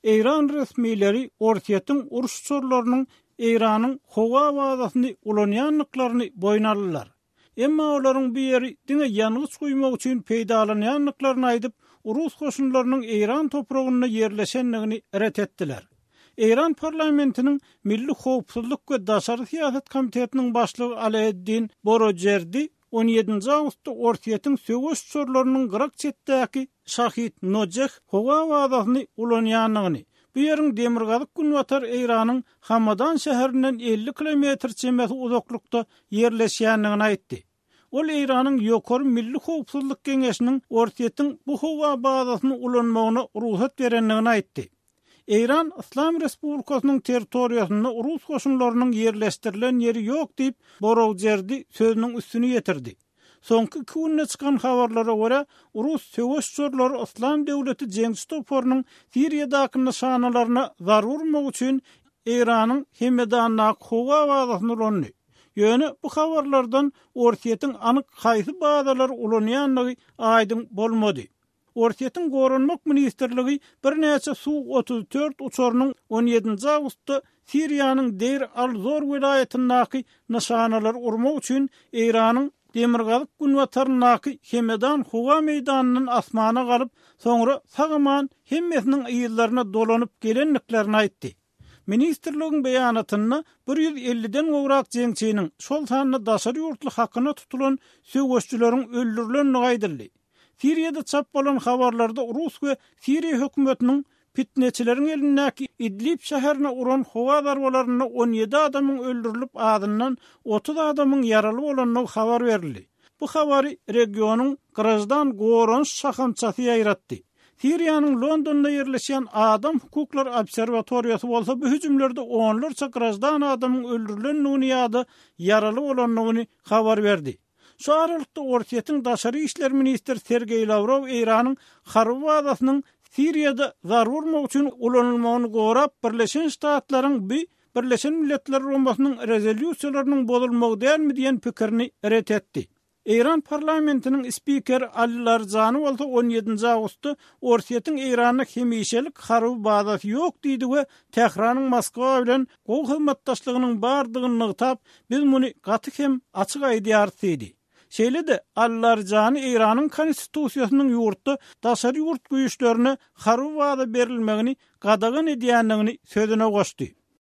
Eýran resmileri Orsýetiň uruş uçarlarynyň Eýranyň howa bazasyny ulanýandyklaryny boýun aldylar. Emma olaryň bu ýeri diňe ýangyç guýmak üçin peýdalanýandyklaryny aýdyp, rus goşunlarynyň Eýran topragynda ýerleşendigini ret etdiler. Eýran parlamentiniň Milli howpsuzlyk we daşary syýasat komitetiniň başlygy Alaeddin Borojerdi On ýedinji awgustda Orsýetiň söweş uçarlarynyň gyrak çetdäki Şahid Nojeh howa bazasyny ulanýandygyny, bu ýeriň demirgazyk-günbatar Eýranyň Hamadan şäherinden 50 kilometr çemesi uzaklykda ýerleşýändigini aýtdy. Ol Eýranyň Ýokary Milli howpsuzlyk geňeşiniň Orsýetiň bu howa bazasyny ulanmagyna rugsat berendigini aýtdy. Eýran Yslam Respublikasynyň territoriýasynda rus goşunlarynyň ýerleşdirilen ýeri ýok diýip, Borowjerdi sözüniň üstüni ýetirdi. Soňky iki günde çykan habarlara görä, rus söweş uçarlary Yslam döwleti jeňçi toparynyň Siriýadaky nyşanalaryna zarba urmak üçin Eýranyň Hemedandaky howa bazasyny ulandy. Ýöne bu habarlardan Orsýetiň anyk haýsy bazalary ulanýandygy aýdyň bolmady. Orsýetiň Goranmak ministrligi birnäçe Su-34 uçarynyň on ýedinji awgustda Siriýanyň Deir al-Zor welaýatyndaky nyşanalary urmak üçin Eýranyň demirgazyk-günbataryndaky Hemedan howa meýdanyndan asmana galyp, soňra sag-aman hemmesiniň yzlaryna dolanyp gelendiklerini aýtdy. Ministrligiň beýanatynda bir ýüz elliden gowrak jeňçiniň, şol sanda daşary ýurtly hakyna tutulan söweşçileriň öldürilendigi aýdyldy. Siriýada çap bolan habarlarda rus we siriýa hökümetiniň pitneçileriň elindäki Idlib şäherine uran howa zarbalarynda on ýedi adamyň öldürilip, azyndan 30 adamyň ýaraly bolandygy habar berildi. Bu habary regionyň Graždan goranyş şahamçasy ýaýratdy. Siriýanyň Londonda ýerleşýän Adam hukuklary obserwatoriýasy bolsa bu hüjümlerde onlarça graždan adamyň öldürilendigini ýa-da ýaraly bolandygyny habar berdi. Şu aralykda Orsýetiň daşary işler ministri Sergeý Lawrow Eýranyň harby bazasynyň Siriýada zarba urmak üçin ulanylmagyny gorap, Birleşen Ştatlaryň bu Birleşen Milletler Guramasynyň rezolýusiýalarynyň bozulmagy dälmi diýen pikirini ret etdi. Eýran parlamentiniň spikeri Ali Larijani bolsa on ýedinji awgustda Orsýetiň Eýranda hemişelik harby bazasy ýok diýdi we Tähranyň Moskwa bilen gowy hyzmatdaşlygynyň bardygyny nygtap, biz muny gaty hem açyk aýdýarys diýdi. Şeýle-de, Ali Larijani Eýranyň konstitusiýasynyň ýurtda daşary ýurt güýçlerine harby baza berilmegini gadagan edýändigini sözüne goşdy.